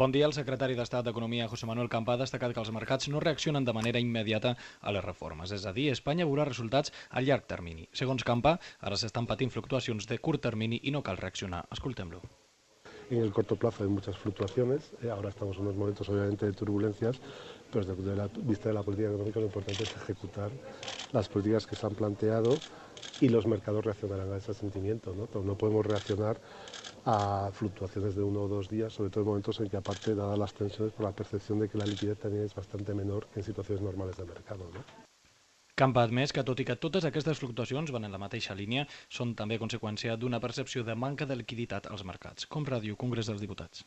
Bon dia. El secretari d'Estat d'Economia, José Manuel Campa, ha destacat que els mercats no reaccionen de manera immediata a les reformes. És a dir, Espanya veurà resultats a llarg termini. Segons Campa, ara s'estan patint fluctuacions de curt termini i no cal reaccionar. Escoltem-lo. En el corto plazo hay muchas fluctuaciones, ahora estamos en unos momentos obviamente de turbulencias, pero desde la vista de la política económica lo importante es ejecutar las políticas que se han planteado y los mercados reaccionarán a ese sentimiento, ¿no? No podemos reaccionar a fluctuaciones de 1 o 2 días, sobre todo en momentos en que aparte, dadas las tensiones, por la percepción de que la liquidez también es bastante menor que en situaciones normales de mercado, ¿no? Campa ha admès que, tot i que totes aquestes fluctuacions van en la mateixa línia, són també conseqüència d'una percepció de manca de liquiditat als mercats. Com Ràdio Congrés dels Diputats.